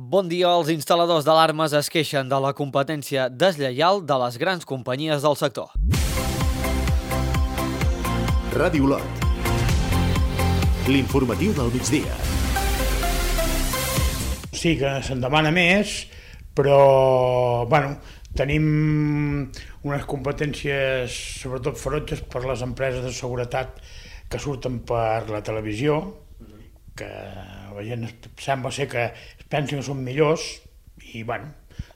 Bon dia. Els instal·ladors d'alarmes es queixen de la competència deslleial de les grans companyies del sector. Ràdio Lot. L'informatiu del migdia. Sí que se'n demana més, però tenim unes competències sobretot ferotges per les empreses de seguretat que surten per la televisió, que la gent sembla ser que es pensen que són millors i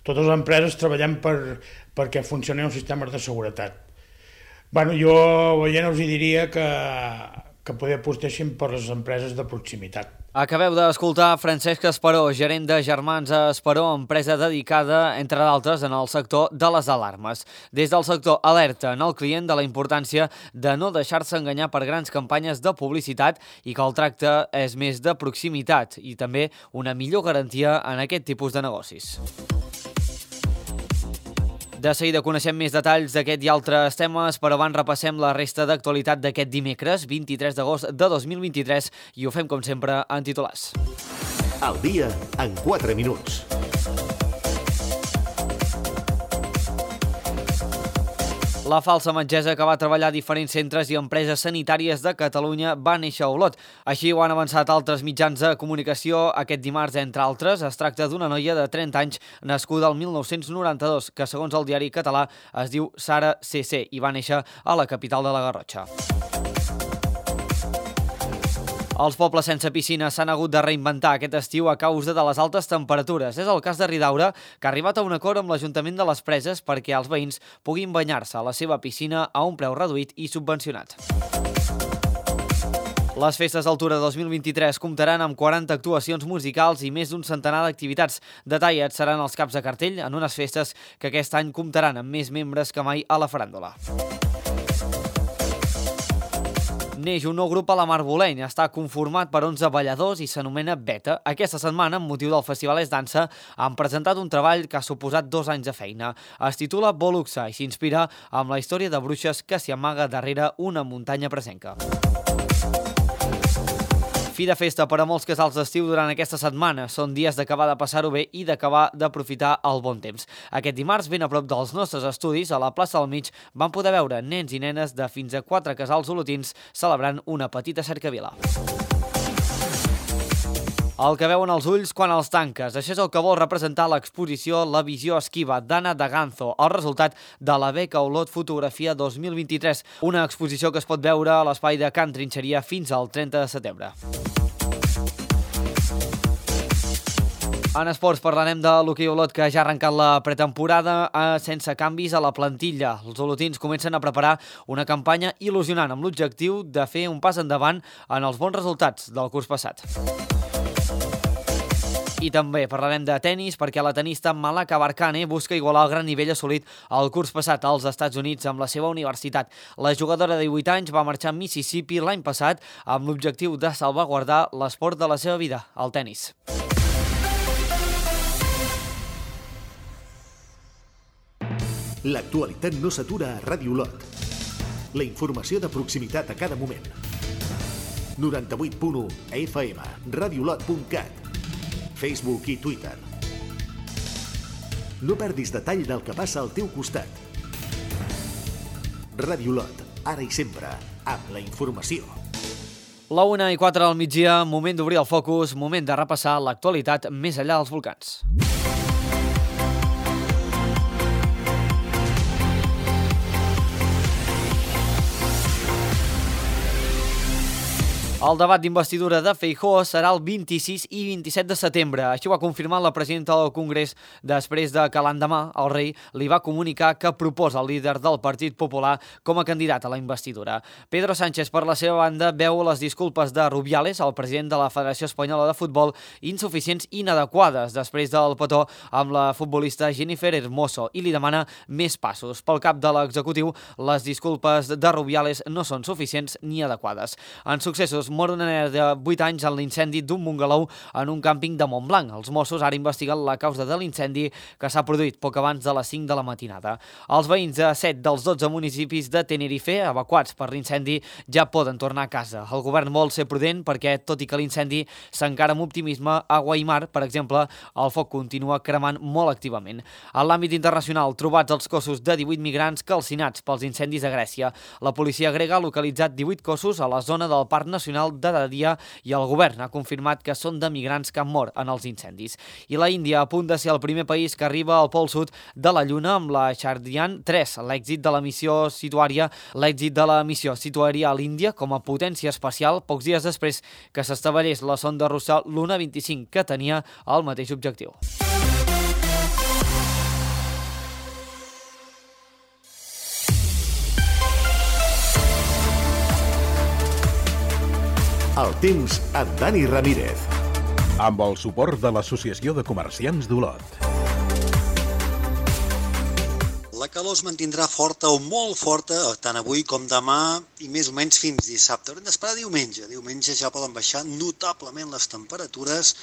totes les empreses treballem perquè funcionin els sistemes de seguretat. Jo veient us diria que poder apostessin per les empreses de proximitat. Acabeu d'escoltar Francesc Esperó, gerent de Germans Esperó, empresa dedicada, entre d'altres, en el sector de les alarmes. Des del sector alerten el client de la importància de no deixar-se enganyar per grans campanyes de publicitat i que el tracte és més de proximitat i també una millor garantia en aquest tipus de negocis. De seguida coneixem més detalls d'aquest i altres temes, però abans repassem la resta d'actualitat d'aquest dimecres, 23 d'agost de 2023, i ho fem, com sempre, en titulars. Al dia, en 4 minuts. La falsa metgessa que va treballar a diferents centres i empreses sanitàries de Catalunya va néixer a Olot. Així ho han avançat altres mitjans de comunicació aquest dimarts, entre altres. Es tracta d'una noia de 30 anys nascuda el 1992, que segons el diari català es diu Sara CC i va néixer a la capital de la Garrotxa. Els pobles sense piscina s'han hagut de reinventar aquest estiu a causa de les altes temperatures. És el cas de Ridaura, que ha arribat a un acord amb l'Ajuntament de les Preses perquè els veïns puguin banyar-se a la seva piscina a un preu reduït i subvencionat. Les festes d'Altura 2023 comptaran amb 40 actuacions musicals i més d'un centenar d'activitats. Detallats seran els caps de cartell en unes festes que aquest any comptaran amb més membres que mai a la faràndula. Neix un nou grup a la Marboleny. Està conformat per 11 balladors i s'anomena Beta. Aquesta setmana, amb motiu del Festival És Dansa, han presentat un treball que ha suposat 2 anys de feina. Es titula Boluxa i s'inspira amb la història de bruixes que s'hi amaga darrere una muntanya presenca. Fi de festa per a molts casals d'estiu durant aquesta setmana. Són dies d'acabar de passar-ho bé i d'acabar d'aprofitar el bon temps. Aquest dimarts, ben a prop dels nostres estudis, a la plaça del Mig, van poder veure nens i nenes de fins a 4 casals olotins celebrant una petita cercavila. El que veuen els ulls quan els tanques. Això és el que vol representar l'exposició La visió esquiva d'Anna Daganzo, el resultat de la beca Olot Fotografia 2023, una exposició que es pot veure a l'espai de Can Trinxeria fins al 30 de setembre. En esports parlarem de l'hoquei Olot, que ja ha arrencat la pretemporada sense canvis a la plantilla. Els olotins comencen a preparar una campanya il·lusionant amb l'objectiu de fer un pas endavant en els bons resultats del curs passat. I també parlarem de tennis perquè la tenista Malaka Barkane busca igualar el gran nivell assolit el curs passat als Estats Units amb la seva universitat. La jugadora de 18 anys va marxar a Mississippi l'any passat amb l'objectiu de salvaguardar l'esport de la seva vida, el tennis. L'actualitat no s'atura a Ràdio Lot. La informació de proximitat a cada moment. 98.1 FM, radiolot.cat, Facebook i Twitter. No perdis detall del que passa al teu costat. Ràdio Lot, ara i sempre, amb la informació. La 1:04 al migdia, moment d'obrir el focus, moment de repassar l'actualitat més enllà dels volcans. El debat d'investidura de Feijóo serà el 26 i 27 de setembre. Així ho ha confirmat la presidenta del Congrés després de que l'endemà el rei li va comunicar que proposa el líder del Partit Popular com a candidat a la investidura. Pedro Sánchez, per la seva banda, veu les disculpes de Rubiales, el president de la Federació Espanyola de Futbol, insuficients i inadequades després del petó amb la futbolista Jennifer Hermoso i li demana més passos. Pel cap de l'executiu, les disculpes de Rubiales no són suficients ni adequades. En successos mor una nena de 8 anys en l'incendi d'un bungalou en un càmping de Montblanc. Els Mossos ara investiguen la causa de l'incendi que s'ha produït poc abans de les 5 de la matinada. Els veïns de 7 dels 12 municipis de Tenerife, evacuats per l'incendi, ja poden tornar a casa. El govern vol ser prudent perquè, tot i que l'incendi s'encara amb optimisme, a Guaimar, per exemple, el foc continua cremant molt activament. En l'àmbit internacional, trobats els cossos de 18 migrants calcinats pels incendis a Grècia. La policia grega ha localitzat 18 cossos a la zona del Parc Nacional de Dadia i el govern ha confirmat que són de migrants que han mort en els incendis. I la Índia, a punt de ser el primer país que arriba al pol sud de la Lluna amb la Chandrayaan 3. L'èxit de la missió situaria a l'Índia com a potència espacial pocs dies després que s'estavellés la sonda russa Luna 25, que tenia el mateix objectiu. El temps amb Dani Ramírez. Amb el suport de l'Associació de Comerciants d'Olot. La calor es mantindrà forta o molt forta, tant avui com demà, i més o menys fins dissabte. Haurem d'esperar diumenge. Diumenge ja poden baixar notablement les temperatures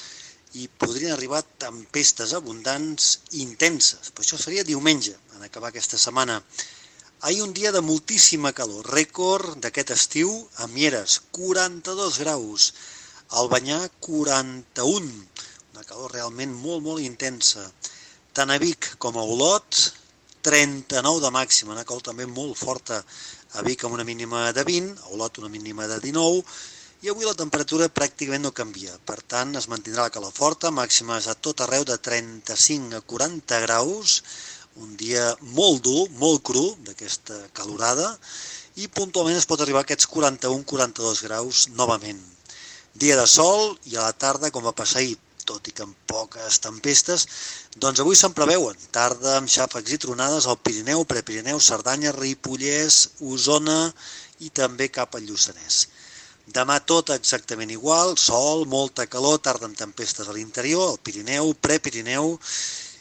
i podrien arribar tempestes abundants i intenses. Per això seria diumenge, en acabar aquesta setmana. Ahir un dia de moltíssima calor, rècord d'aquest estiu a Mieres, 42 graus, al Banyà 41, una calor realment molt intensa. Tant a Vic com a Olot, 39 de màxima, una calor també molt forta, a Vic amb una mínima de 20, a Olot una mínima de 19, i avui la temperatura pràcticament no canvia, per tant es mantindrà la calor forta, màximes a tot arreu de 35 a 40 graus, un dia molt dur, molt cru d'aquesta calorada, i puntualment es pot arribar a aquests 41-42 graus novament. Dia de sol i a la tarda, com va passar ahir, tot i que amb poques tempestes, doncs avui se'n preveuen. Tarda amb xàfecs i tronades al Pirineu, Prepirineu, Cerdanya, Ripollès, Osona i també cap al Lluçanès. Demà tot exactament igual, sol, molta calor, tarda amb tempestes a l'interior, al Pirineu, Prepirineu,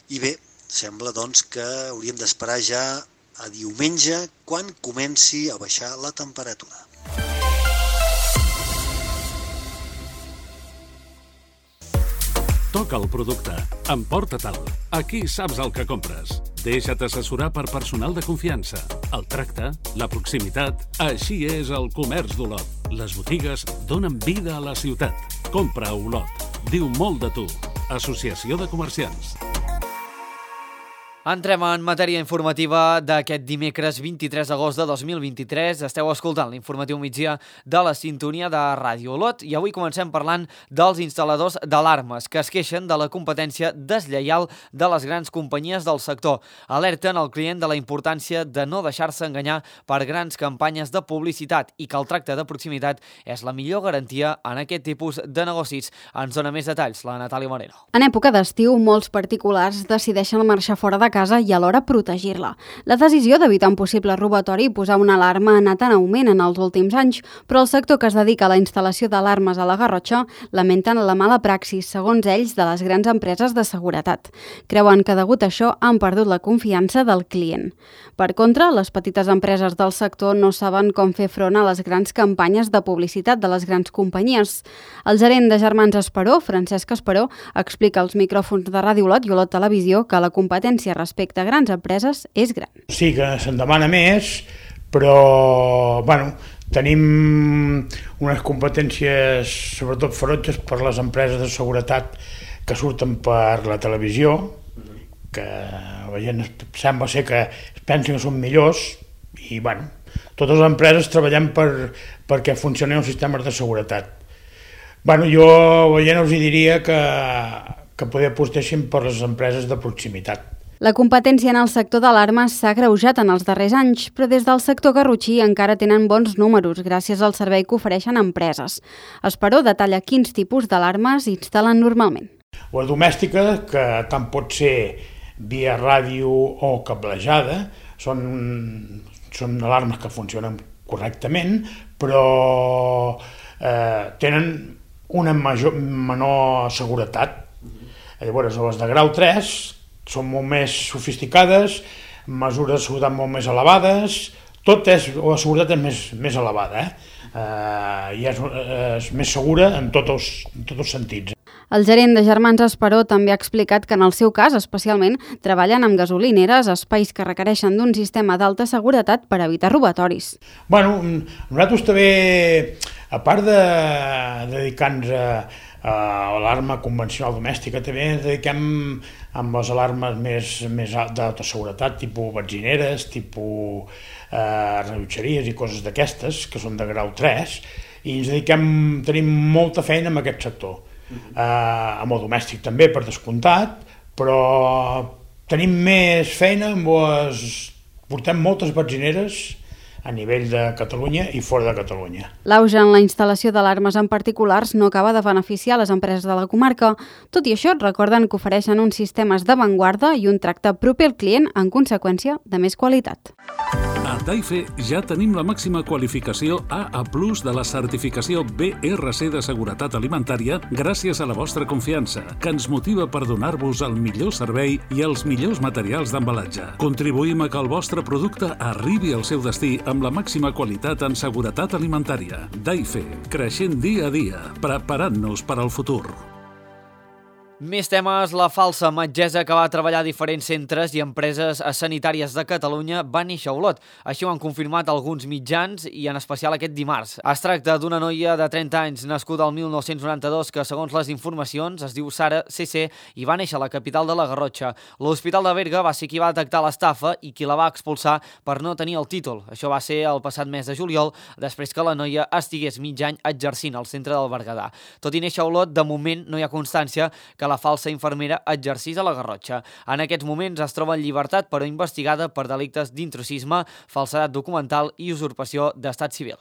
i bé, sembla doncs que hauríem d'esperar ja a diumenge quan comenci a baixar la temperatura. Toca el producte. Emporta-te'l. Aquí saps el que compres. Deixa't assessorar per personal de confiança. El tracte, la proximitat... Així és el comerç d'Olot. Les botigues donen vida a la ciutat. Compra a Olot. Diu molt de tu. Associació de Comerciants. Entrem en matèria informativa d'aquest dimecres 23 d'agost de 2023. Esteu escoltant l'informatiu migdia de la sintonia de Ràdio Olot i avui comencem parlant dels instal·ladors d'alarmes que es queixen de la competència deslleial de les grans companyies del sector. Alerten el client de la importància de no deixar-se enganyar per grans campanyes de publicitat i que el tracte de proximitat és la millor garantia en aquest tipus de negocis. Ens dona més detalls la Natàlia Moreno. En època d'estiu, molts particulars decideixen marxar fora de casa i alhora protegir-la. La decisió d'evitar un possible robatori i posar una alarma ha anat en augment en els últims anys, però el sector que es dedica a la instal·lació d'alarmes a la Garrotxa lamenten la mala praxis, segons ells, de les grans empreses de seguretat. Creuen que degut a això han perdut la confiança del client. Per contra, les petites empreses del sector no saben com fer front a les grans campanyes de publicitat de les grans companyies. El gerent de Germans Esperó, Francesc Esperó, explica als micròfons de Ràdio Olot i Olot Televisió que la competència respecte a grans empreses és gran. Sí que se'n demana més, però tenim unes competències sobretot ferotges per les empreses de seguretat que surten per la televisió, que la gent sembla ser que es pensen que són millors i totes les empreses treballem perquè funcionin els sistemes de seguretat. Jo a la gent els diria que poder apostessin per les empreses de proximitat. La competència en el sector d'alarmes s'ha agreujat en els darrers anys, però des del sector garrotxí encara tenen bons números gràcies al servei que ofereixen empreses. Esperó detalla quins tipus d'alarmes instal·len normalment. La domèstica, que tant pot ser via ràdio o cablejada, són alarmes que funcionen correctament, però tenen una menor seguretat. Llavors, les de grau 3 són molt més sofisticades, mesures de seguretat molt més elevades, tot és, o la seguretat és més elevada, i és més segura en tots els sentits. El gerent de Germans Esperó també ha explicat que en el seu cas, especialment, treballen amb gasolineres, espais que requereixen d'un sistema d'alta seguretat per evitar robatoris. Bueno, nosaltres també, a part de dedicar-nos a l'alarma convencional domèstica, també ens dediquem amb les alarmes més d'alta seguretat, tipus benzineres, tipus rellotgeries i coses d'aquestes, que són de grau 3, i ens tenim molta feina en aquest sector. Amb el domèstic també, per descomptat, però tenim més feina portem moltes benzineres a nivell de Catalunya i fora de Catalunya. L'auge en la instal·lació d'alarmes en particulars no acaba de beneficiar les empreses de la comarca. Tot i això, recorden que ofereixen uns sistemes d'avantguarda i un tracte proper al client, en conseqüència, de més qualitat. A Daife ja tenim la màxima qualificació AA+ de la certificació BRC de seguretat alimentària gràcies a la vostra confiança, que ens motiva per donar-vos el millor servei i els millors materials d'embalatge. Contribuïm a que el vostre producte arribi al seu destí amb la màxima qualitat en seguretat alimentària. Daife, creixent dia a dia, preparant-nos per al futur. Més temes, la falsa metgessa que va treballar a diferents centres i empreses sanitàries de Catalunya va néixer a Olot. Així ho han confirmat alguns mitjans i en especial aquest dimarts. Es tracta d'una noia de 30 anys nascuda al 1992 que, segons les informacions, es diu Sara CC i va néixer a la capital de la Garrotxa. L'Hospital de Berga va ser qui va detectar l'estafa i qui la va expulsar per no tenir el títol. Això va ser el passat mes de juliol, després que la noia estigués mig any exercint al centre del Berguedà. Tot i néixer a Olot, de moment no hi ha constància que la falsa infermera exercís a la Garrotxa. En aquests moments es troba en llibertat però investigada per delictes d'intrusisme, falsedat documental i usurpació d'estat civil.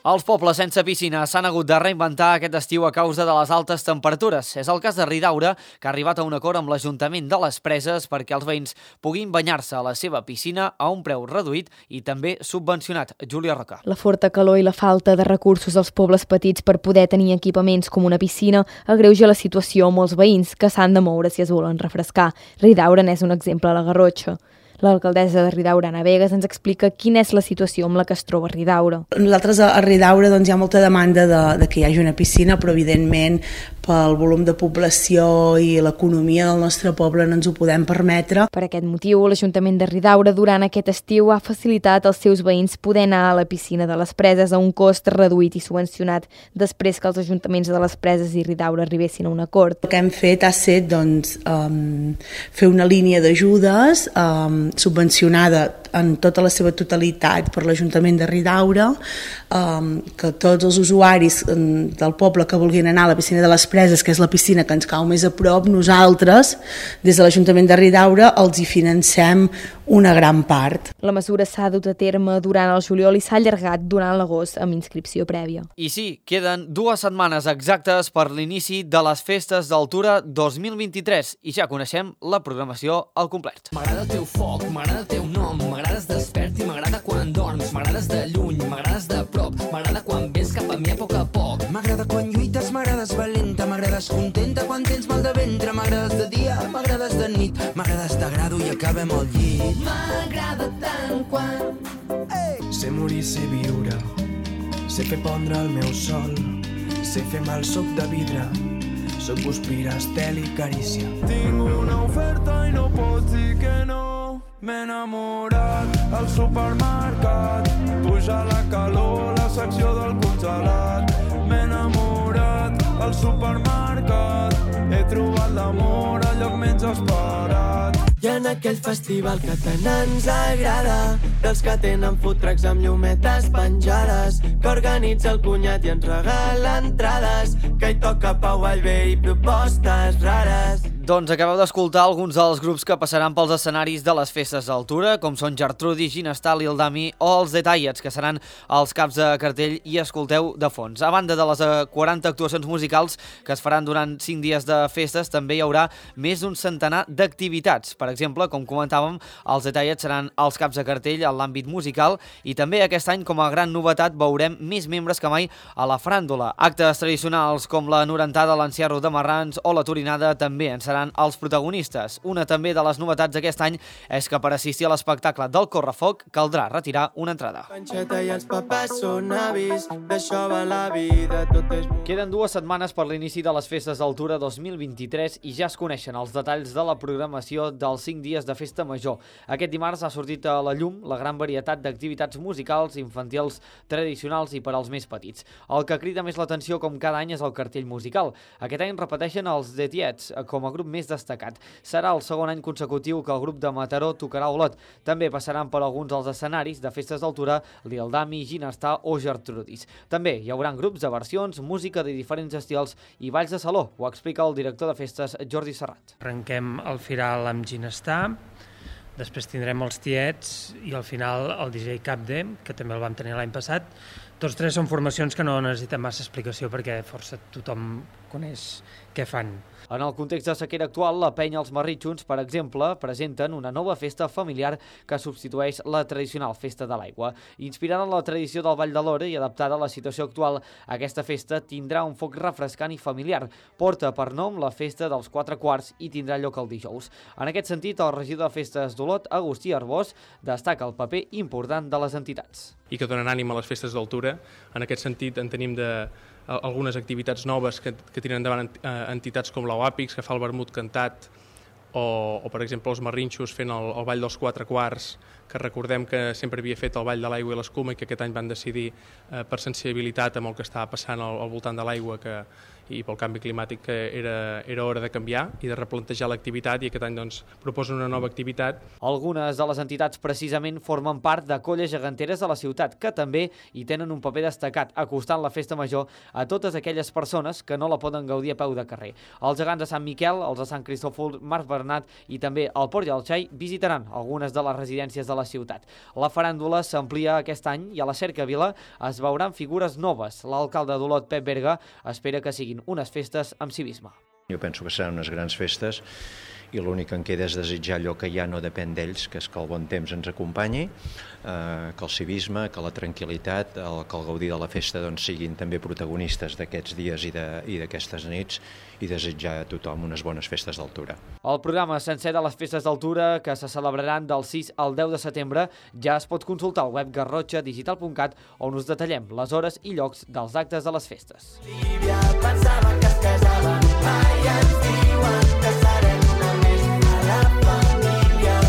Els pobles sense piscina s'han hagut de reinventar aquest estiu a causa de les altes temperatures. És el cas de Ridaura, que ha arribat a un acord amb l'Ajuntament de les Preses perquè els veïns puguin banyar-se a la seva piscina a un preu reduït i també subvencionat. Júlia Roca. La forta calor i la falta de recursos als pobles petits per poder tenir equipaments com una piscina agreuja la situació a molts veïns que s'han de moure si es volen refrescar. Ridaura n'és un exemple a la Garrotxa. L'alcaldessa de Ridaura, Ana Vegas, ens explica quina és la situació amb la que es troba Ridaura. Nosaltres a Ridaura hi ha molta demanda de que hi hagi una piscina, però evidentment pel volum de població i l'economia del nostre poble no ens ho podem permetre. Per aquest motiu, l'Ajuntament de Ridaura durant aquest estiu ha facilitat als seus veïns poder anar a la piscina de les Preses a un cost reduït i subvencionat després que els ajuntaments de les Preses i Ridaura arribessin a un acord. El que hem fet ha estat fer una línia d'ajudes subvencionada en tota la seva totalitat per l'Ajuntament de Ridaura, que tots els usuaris del poble que vulguin anar a la piscina de les Preses, que és la piscina que ens cau més a prop, nosaltres, des de l'Ajuntament de Ridaura, els hi financem una gran part. La mesura s'ha dut a terme durant el juliol i s'ha allargat durant l'agost amb inscripció prèvia. I sí, queden 2 setmanes exactes per l'inici de les Festes d'Altura 2023 i ja coneixem la programació al complet. M'agrada el teu foc, m'agrada el teu nom, m'agrades despert i m'agrada quan dorms, m'agrades de lluny, m'agrades de prop, m'agrada quan vens cap a mi a poc. M'agrada quan lluites, m'agrades valenta, m'agrades contenta quan tens mal de ventre, m'agrades de dia, m'agrades de nit, m'agrades t'agrado i acabem al llit. M'agrada tant quan... Sé morir, sé viure, sé fer pondre el meu sol, sé fer mal soc de vidre, soc guspira, estel i carícia. Tinc una oferta i no pots dir que no, m'he enamorat al supermercat, puja la calor, la secció del congelat, m'he enamorat al supermercat, he trobat l'amor al lloc menys esperat. I en aquell festival que tant ens agrada, dels que tenen food trucks amb llumetes penjades, que organitza el cunyat i ens regala entrades, que hi toca Pau Vallvé i propostes rares. Doncs acabeu d'escoltar alguns dels grups que passaran pels escenaris de les Festes d'Altura, com són Gertrudi, Ginestal i el Dami, o els Detallets, que seran els caps de cartell i escolteu de fons. A banda de les 40 actuacions musicals que es faran durant 5 dies de festes, també hi haurà més d'un centenar d'activitats. Per exemple, com comentàvem, els Detallets seran els caps de cartell en l'àmbit musical i també aquest any, com a gran novetat, veurem més membres que mai a la faràndula. Actes tradicionals com la norentada, l'enciarro de marrans o la torinada també en seran seran els protagonistes. Una també de les novetats d'aquest any és que per assistir a l'espectacle del Correfoc caldrà retirar una entrada. Panxeta i els papers són avis, d'això va la vida, tot és... Queden 2 setmanes per l'inici de les festes d'Altura 2023 i ja es coneixen els detalls de la programació dels 5 dies de festa major. Aquest dimarts ha sortit a la llum la gran varietat d'activitats musicals, infantils, tradicionals i per als més petits. El que crida més l'atenció com cada any és el cartell musical. Aquest any repeteixen els The Tietz com a grup més destacat. Serà el segon any consecutiu que el grup de Mataró tocarà a Olot. També passaran per alguns dels escenaris de festes d'Altura Lil Dami, Ginestar o Gertrudis. També hi haurà grups de versions, música de diferents estils i balls de saló. Ho explica el director de festes, Jordi Serrat. Arrenquem el Firal amb Ginestar, després tindrem els Tietz i al final el DJ Capde, que també el vam tenir l'any passat. Tots tres són formacions que no necessiten massa explicació perquè força tothom coneix què fan. En el context de sequera actual, la penya Els Marritxons, per exemple, presenten una nova festa familiar que substitueix la tradicional festa de l'aigua. Inspirada en la tradició del Ball de l'Hora i adaptada a la situació actual, aquesta festa tindrà un foc refrescant i familiar. Porta per nom la festa dels 4 quarts i tindrà lloc el dijous. En aquest sentit, el regidor de festes d'Olot, Agustí Arbós, destaca el paper important de les entitats. I que donen ànim a les festes d'Altura. En aquest sentit, en tenim algunes activitats noves que tiren endavant entitats com l'Oàpix, que fa el vermut cantat, o per exemple, els Marrinxos fent el Ball dels 4 quarts, que recordem que sempre havia fet el Ball de l'Aigua i l'Escuma i que aquest any van decidir, per sensibilitat amb el que estava passant al voltant de l'aigua i pel canvi climàtic, que era hora de canviar i de replantejar l'activitat, i aquest any proposen una nova activitat. Algunes de les entitats precisament formen part de colles geganteres de la ciutat, que també hi tenen un paper destacat, acostant la festa major a totes aquelles persones que no la poden gaudir a peu de carrer. Els gegants de Sant Miquel, els de Sant Cristòfol, Marc Bernat i també el Port i el Xai visitaran algunes de les residències de la ciutat. La faràndula s'amplia aquest any i a la Cercavila es veuran figures noves. L'alcalde d'Olot, Pep Berga, espera que siguin unes festes amb civisme. Jo penso que seran unes grans festes i l'únic que em queda és desitjar allò que ja no depèn d'ells, que és que el bon temps ens acompanyi, que el civisme, que la tranquil·litat, que el gaudir de la festa siguin també protagonistes d'aquests dies i d'aquestes nits, i desitjar a tothom unes bones festes d'Altura. El programa sencer de les festes d'Altura, que se celebraran del 6 al 10 de setembre, ja es pot consultar al web garrotxadigital.cat, on us detallem les hores i llocs dels actes de les festes. Lívia pensava que es casava, mai ens diuen que serem només a la família.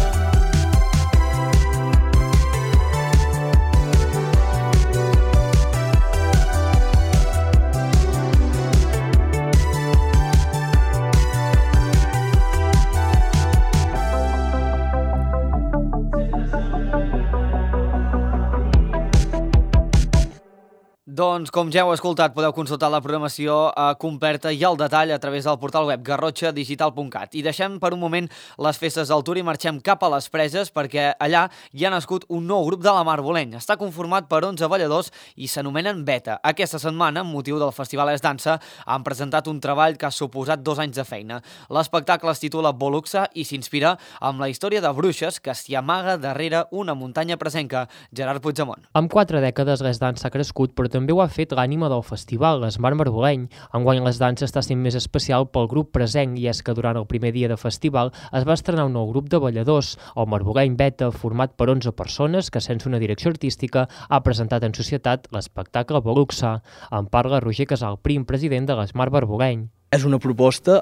Doncs, com ja heu escoltat, podeu consultar la programació completa i al detall a través del portal web garrotxadigital.cat. I deixem per un moment les festes d'Altura i marxem cap a les Preses, perquè allà hi ha nascut un nou grup de la Mar Boleny. Està conformat per 11 balladors i s'anomenen Beta. Aquesta setmana, amb motiu del Festival Es Dansa, han presentat un treball que ha suposat 2 anys de feina. L'espectacle es titula Boluxa i s'inspira amb la història de bruixes que s'hi amaga darrere una muntanya presenca. Gerard Puigdemont. Amb 4 dècades l'Es Dansa ha crescut, però també ho ha fet l'ànima del festival, l'Esmar Marboleny. Enguany l'Es Dansa està sent més especial pel grup presenc, i és que durant el primer dia de festival es va estrenar un nou grup de balladors, el Marboleny Beta, format per 11 persones que, sense una direcció artística, ha presentat en societat l'espectacle Boluxa. En parla Roger Casal, prim president de l'Esmar Marboleny. És una proposta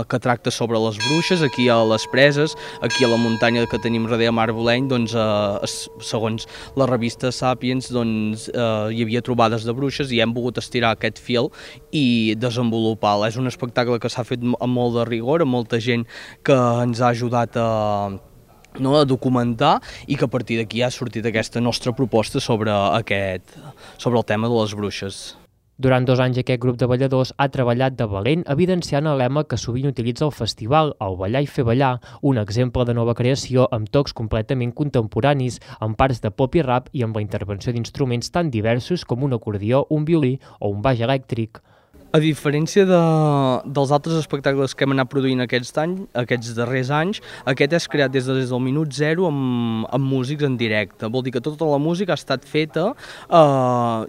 que tracta sobre les bruixes, aquí a les Preses, aquí a la muntanya que tenim darrere Mar Boleny, segons la revista Sapiens, hi havia trobades de bruixes i hem volgut estirar aquest fil i desenvolupar-la. És un espectacle que s'ha fet amb molt de rigor, amb molta gent que ens ha ajudat a documentar, i que a partir d'aquí ha sortit aquesta nostra proposta sobre el tema de les bruixes. Durant 2 anys aquest grup de balladors ha treballat de valent, evidenciant el lema que sovint utilitza el festival, el ballar i fer ballar, un exemple de nova creació amb tocs completament contemporanis, amb parts de pop i rap i amb la intervenció d'instruments tan diversos com un acordió, un violí o un baix elèctric. A diferència dels altres espectacles que hem anat produint aquests darrers anys, aquest és creat des del minut zero amb músics en directe. Vol dir que tota la música ha estat feta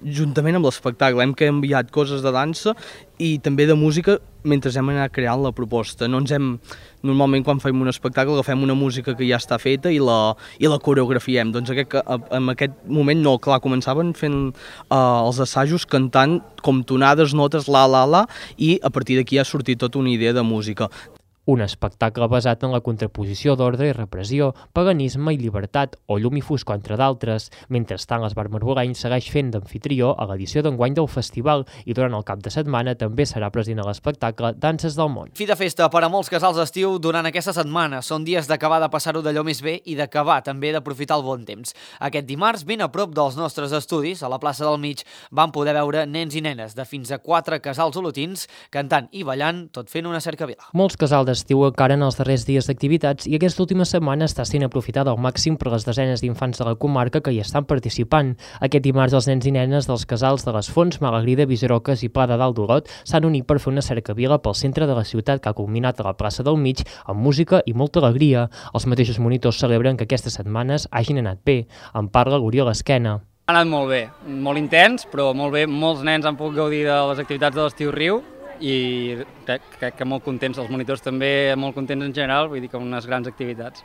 juntament amb l'espectacle. Hem canviat coses de dansa i també de música mentre hem anat creant la proposta. Normalment quan fem un espectacle agafem una música que ja està feta i la coreografiem. Doncs en aquest moment no, clar, començaven fent els assajos cantant com tonades, notes, la, i a partir d'aquí ha sortit tota una idea de música. Un espectacle basat en la contraposició d'ordre i repressió, paganisme i llibertat, o llum i foscor, entre d'altres. Mentrestant, l'Esbar Marboleny segueix fent d'amfitrió a l'edició d'enguany del festival i durant el cap de setmana també serà present a l'espectacle Danses del Món. Fi de festa per a molts casals d'estiu durant aquesta setmana. Són dies d'acabar de passar-ho d'allò més bé i d'acabar també d'aprofitar el bon temps. Aquest dimarts, ben a prop dels nostres estudis, a la plaça del Mig, van poder veure nens i nenes de fins a 4 casals olotins cantant i ballant, tot fent una cercavila. Molts casals d'estiu encara en els darrers dies d'activitats i aquesta última setmana està sent aprofitada al màxim per les desenes d'infants de la comarca que hi estan participant. Aquest dimarts els nens i nenes dels casals de les Fonts, Malagrida, Viserocas i Pla de Dalt d'Olot s'han unit per fer una cercavila pel centre de la ciutat que ha culminat a la plaça del Mig amb música i molta alegria. Els mateixos monitors celebren que aquestes setmanes hagin anat bé. En parla l'Oriol Esquena. Ha anat molt bé, molt intens, però molt bé. Molts nens han pogut gaudir de les activitats de l'estiu Riu i crec que molt contents, els monitors també molt contents en general, vull dir que unes grans activitats.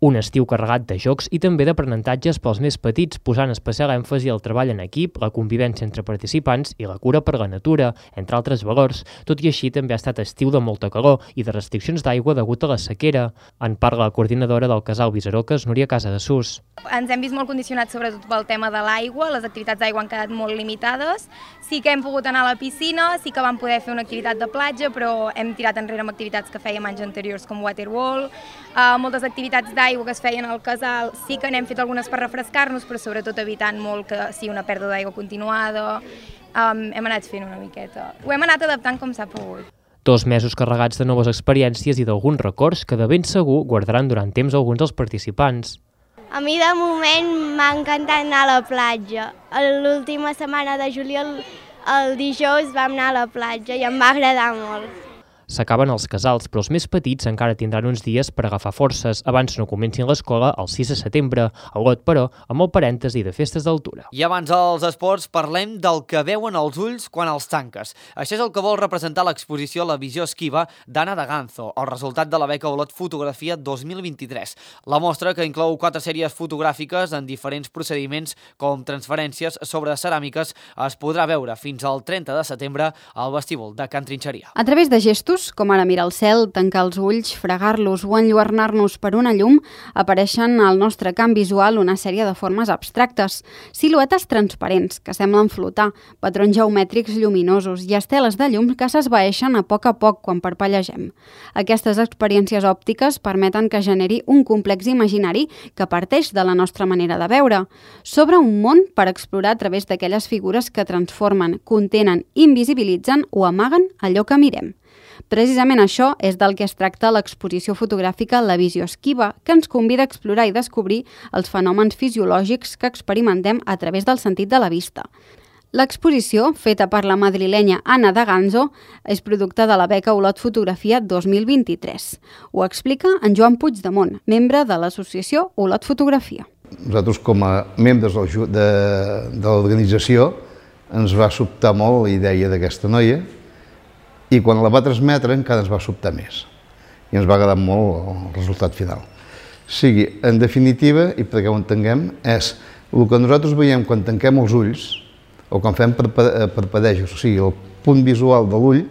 Un estiu carregat de jocs i també d'aprenentatges pels més petits, posant especial èmfasi al treball en equip, la convivència entre participants i la cura per la natura, entre altres valors. Tot i així, també ha estat estiu de molta calor i de restriccions d'aigua degut a la sequera. En parla la coordinadora del casal Viserocas, Núria Casadesús. Ens hem vist molt condicionats sobretot pel tema de l'aigua, les activitats d'aigua han quedat molt limitades. Sí que hem pogut anar a la piscina, sí que vam poder fer una activitat de platja, però hem tirat enrere amb activitats que fèiem anys anteriors com waterwall. Moltes activitats d'aigua que es feien al casal sí que n'hem fet algunes per refrescar-nos, però sobretot evitant molt que sigui una pèrdua d'aigua continuada. Hem anat fent una miqueta. Ho hem anat adaptant com s'ha pogut. 2 mesos carregats de noves experiències i d'alguns records que de ben segur guardaran durant temps alguns dels participants. A mi de moment m'ha encantat anar a la platja. L'última setmana de juliol, el dijous, vam anar a la platja i em va agradar molt. S'acaben els casals, però els més petits encara tindran uns dies per agafar forces abans no comencin l'escola el 6 de setembre. A Olot, però, amb el parèntesi de festes d'altura. I abans dels esports parlem del que veuen els ulls quan els tanques. Això és el que vol representar l'exposició La visió esquiva d'Anna de Ganzo, el resultat de la beca Olot Fotografia 2023. La mostra, que inclou 4 sèries fotogràfiques en diferents procediments com transferències sobre ceràmiques, es podrà veure fins al 30 de setembre al vestíbul de Can Trinxeria. A través de gestos, com ara mirar el cel, tancar els ulls, fregar-los o enlluernar-nos per una llum, apareixen al nostre camp visual una sèrie de formes abstractes, siluetes transparents que semblen flotar, patrons geomètrics lluminosos i esteles de llum que s'esvaeixen a poc quan parpellegem. Aquestes experiències òptiques permeten que generi un complex imaginari que parteix de la nostra manera de veure. S'obre un món per explorar a través d'aquelles figures que transformen, contenen, invisibilitzen o amaguen allò que mirem. Precisament això és del que es tracta l'exposició fotogràfica La visió esquiva, que ens convida a explorar i descobrir els fenòmens fisiològics que experimentem a través del sentit de la vista. L'exposició, feta per la madrilenya Anna de Ganzo, és producte de la beca Olot Fotografia 2023. Ho explica en Joan Puigdemont, membre de l'associació Olot Fotografia. Nosaltres, com a membres de l'organització, ens va sobtar molt la idea d'aquesta noia, i quan la va transmetre encara ens va sobtar més i ens va agradar molt el resultat final. Sigui, en definitiva, i perquè ho entenguem, és el que nosaltres veiem quan tanquem els ulls o quan fem parpadejos, o sigui, el punt visual de l'ull,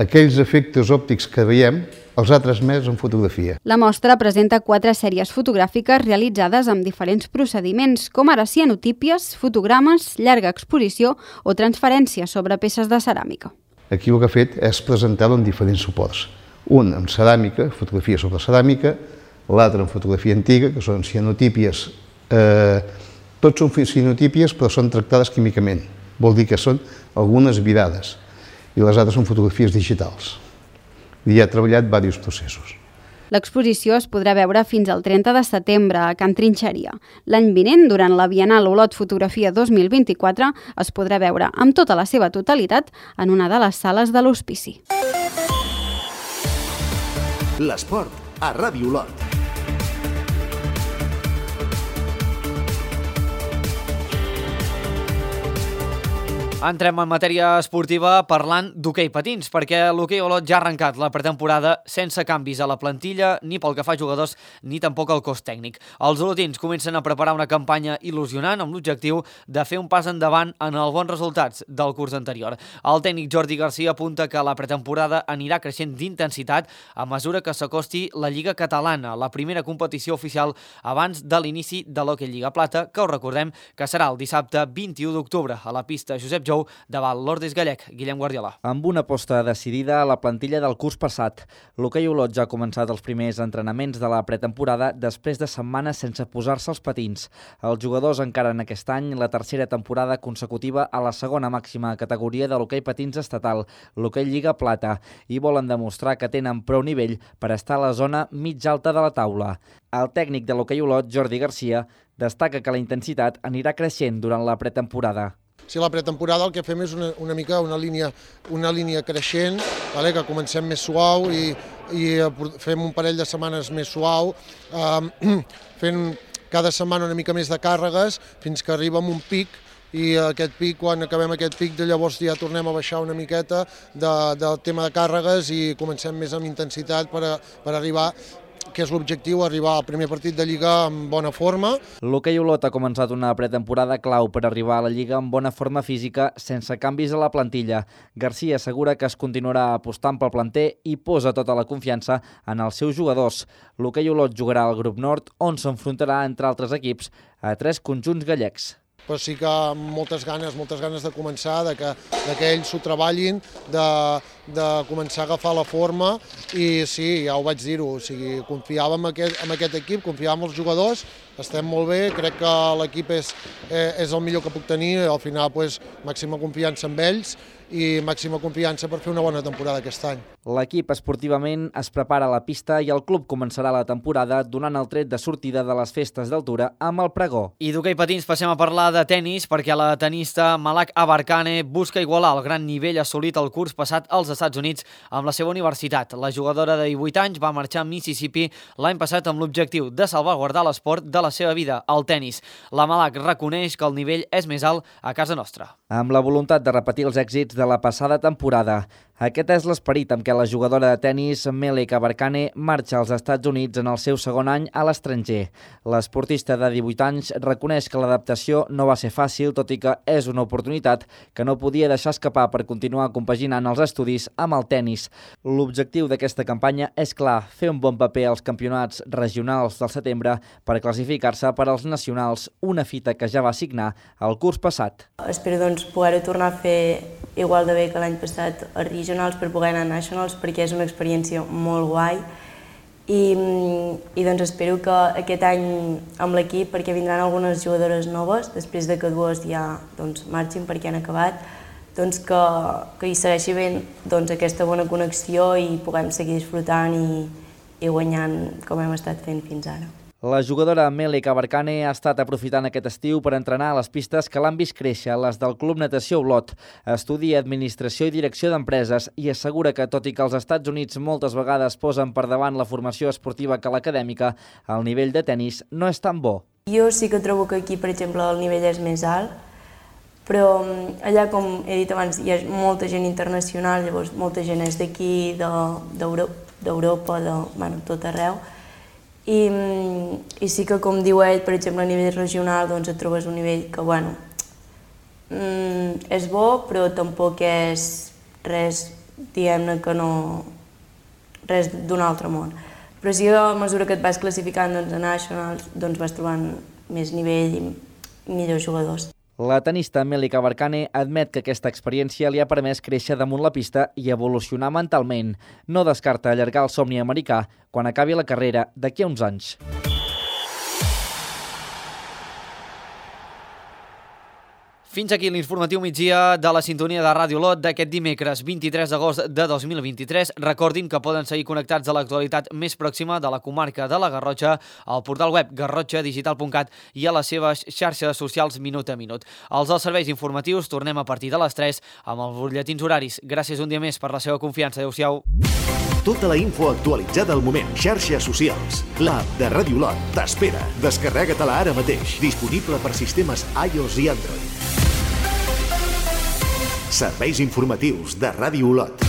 aquells efectes òptics que veiem els ha transmès en fotografia. La mostra presenta 4 sèries fotogràfiques realitzades amb diferents procediments, com ara cianotípies, fotogrames, llarga exposició o transferències sobre peces de ceràmica. Aquí el que ha fet és presentar-lo en diferents suports. Un amb ceràmica, fotografia sobre ceràmica, l'altre en fotografia antiga, que són cianotípies. Tots són cianotípies, però són tractades químicament. Vol dir que són algunes virades. I les altres són fotografies digitals. I ha treballat diversos processos. L'exposició es podrà veure fins al 30 de setembre a Can Trinxeria. L'any vinent, durant la Bienal Olot Fotografia 2024, es podrà veure amb tota la seva totalitat en una de les sales de l'hospici. L'esport a Ràdio Olot. Entrem en matèria esportiva parlant d'hoquei patins, perquè l'hoquei Olot ja ha arrencat la pretemporada sense canvis a la plantilla, ni pel que fa a jugadors, ni tampoc al cos tècnic. Els olotins comencen a preparar una campanya il·lusionant amb l'objectiu de fer un pas endavant en els bons resultats del curs anterior. El tècnic Jordi Garcia apunta que la pretemporada anirà creixent d'intensitat a mesura que s'acosti la Lliga Catalana, la primera competició oficial abans de l'inici de l'Hoquei Lliga Plata, que us recordem que serà el dissabte 21 d'octubre a la pista Josep Jou davant l'Ordis Gallec. Guillem Guardiola. Amb una aposta decidida a la plantilla del curs passat, l'hoquei Olot ja ha començat els primers entrenaments de la pretemporada després de setmanes sense posar-se els patins. Els jugadors encaren aquest any la tercera temporada consecutiva a la segona màxima categoria de l'hoquei patins estatal, l'Hoquei Lliga Plata, i volen demostrar que tenen prou nivell per estar a la zona mig alta de la taula. El tècnic de l'hoquei Olot, Jordi Garcia, destaca que la intensitat anirà creixent durant la pretemporada. Si la pretemporada el que fem és una mica una línia creixent, que comencem més suau i fem un parell de setmanes més suau, fent cada setmana una mica més de càrregues fins que arribem a un pic, i aquest pic, quan acabem aquest pic, llavors ja tornem a baixar una miqueta del tema de càrregues i comencem més amb intensitat per arribar, que és l'objectiu, arribar al primer partit de Lliga amb bona forma. L'hoquei Olot ha començat una pretemporada clau per arribar a la Lliga amb bona forma física, sense canvis a la plantilla. Garcia assegura que es continuarà apostant pel planter i posa tota la confiança en els seus jugadors. L'hoquei Olot jugarà al grup nord, on s'enfrontarà, entre altres equips, a 3 conjunts gallecs. Però sí que amb moltes ganes de començar, que ells s'ho treballin, de començar a agafar la forma, i sí, ja ho vaig dir-ho, confiàvem en aquest equip, confiàvem en els jugadors, estem molt bé, crec que l'equip és el millor que puc tenir, al final màxima confiança en ells i màxima confiança per fer una bona temporada aquest any. L'equip esportivament es prepara a la pista i el club començarà la temporada donant el tret de sortida de les festes d'altura amb el pregó. I d'hoquei patins passem a parlar de tennis, perquè la tenista Malak Abarkane busca igualar el gran nivell assolit el curs passat als Estats Units amb la seva universitat. La jugadora de 18 anys va marxar a Mississippi l'any passat amb l'objectiu de salvaguardar l'esport de la seva vida, el tennis. La Malak reconeix que el nivell és més alt a casa nostra. Amb la voluntat de repetir els èxits de la passada temporada. Aquest és l'esperit amb què la jugadora de tennis Malak Abarkane marxa als Estats Units en el seu segon any a l'estranger. L'esportista de 18 anys reconeix que l'adaptació no va ser fàcil, tot i que és una oportunitat que no podia deixar escapar per continuar compaginant els estudis amb el tennis. L'objectiu d'aquesta campanya és clar, fer un bon paper als campionats regionals del setembre per classificar-se per als nacionals, una fita que ja va signar el curs passat. Espero poder-ho tornar a fer igual de bé que l'any passat a regionals per poder anar a nationals, perquè és una experiència molt guai i espero que aquest any amb l'equip, perquè vindran algunes jugadores noves després de que dues ja marxin perquè han acabat, que hi segueixi ben aquesta bona connexió i puguem seguir disfrutant i guanyant com hem estat fent fins ara. La jugadora Malak Abarkane ha estat aprofitant aquest estiu per entrenar a les pistes que l'han vist créixer, les del Club Natació Olot. Estudia Administració i Direcció d'Empreses i assegura que, tot i que els Estats Units moltes vegades posen per davant la formació esportiva que l'acadèmica, el nivell de tennis no és tan bo. Jo sí que trobo que aquí, per exemple, el nivell és més alt, però allà, com he dit abans, hi ha molta gent internacional, llavors molta gent és d'aquí, d'Europa, de tot arreu, i sí que, com diu ell, per exemple, a nivell regional et trobes un nivell que, és bo, però tampoc és res, diguem-ne que no, res d'un altre món. Però sí que a mesura que et vas classificant a nationals, vas trobant més nivell i millors jugadors. La tenista Malak Abarkane admet que aquesta experiència li ha permès créixer damunt la pista i evolucionar mentalment. No descarta allargar el somni americà quan acabi la carrera d'aquí a uns anys. Fins aquí l'informatiu migdia de la sintonia de Ràdio Olot d'aquest dimecres 23 d'agost de 2023. Recordin que poden seguir connectats a l'actualitat més pròxima de la comarca de la Garrotxa al portal web garrotxadigital.cat i a les seves xarxes socials minut a minut. Els dels serveis informatius tornem a partir de les 3 amb els butlletins horaris. Gràcies un dia més per la seva confiança. Adéu-siau. Tota la info actualitzada al moment. Xarxes socials. L'app de Ràdio Olot t'espera. Descarrega-te-la ara mateix. Disponible per sistemes iOS i Android. Serveis informatius de Ràdio Olot.